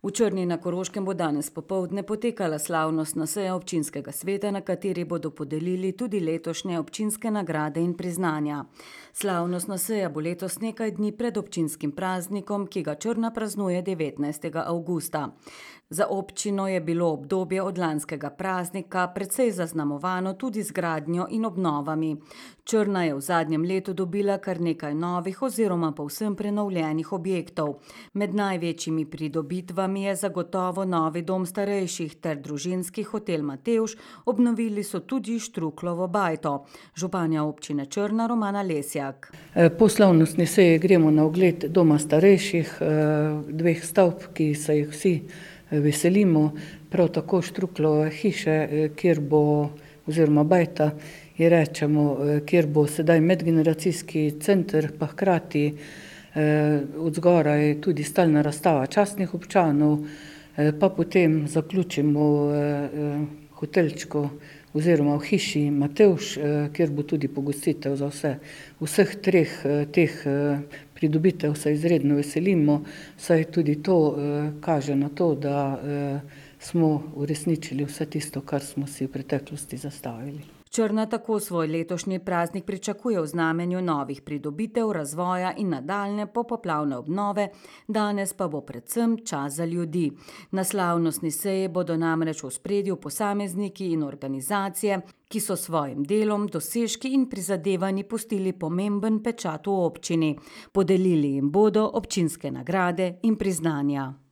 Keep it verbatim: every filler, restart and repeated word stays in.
V Črni na Koroškem bo danes popoldne potekala slavnostna seja občinskega sveta, na kateri bodo podelili tudi letošnje občinske nagrade in priznanja. Slavnostna seja bo letos nekaj dni pred občinskim praznikom, ki ga Črna praznuje devetnajstega avgusta. Za občino je bilo obdobje od lanskega praznika precej zaznamovano tudi z gradnjo in obnovami. Črna je v zadnjem letu dobila kar nekaj novih oziroma povsem prenovljenih objektov. Med največjimi pridobitvami je zagotovo novi dom starejših ter družinski hotel Matevž, obnovili so tudi Štruklovo bajto. Županja občine Črna Romana Lesjak. Po slavnostni seji gremo na ogled doma starejših, dveh stavb, ki se jih vsi veselimo, prav tako Štruklove hiše, kjer bo, oziroma bajta, ji rečemo, kjer bo sedaj medgeneracijski center, pa hkrati od zgoraj tudi stalna razstava častnih občanov, pa potem zaključimo hotelčko oziroma v hiši Matevž, kjer bo tudi pogostitev za vse. Vseh treh teh pridobitev se izredno veselimo, saj tudi to kaže na to, da smo uresničili vse tisto, kar smo si v preteklosti zastavili. Črna tako svoj letošnji praznik pričakuje v znamenju novih pridobitev, razvoja in nadaljnje popoplavne obnove, danes pa bo predvsem čas za ljudi. Na slavnostni seji bodo namreč v ospredju posamezniki in organizacije, ki so s svojim delom, dosežki in prizadevanji pustili pomemben pečat v občini. Podelili jim bodo občinske nagrade in priznanja.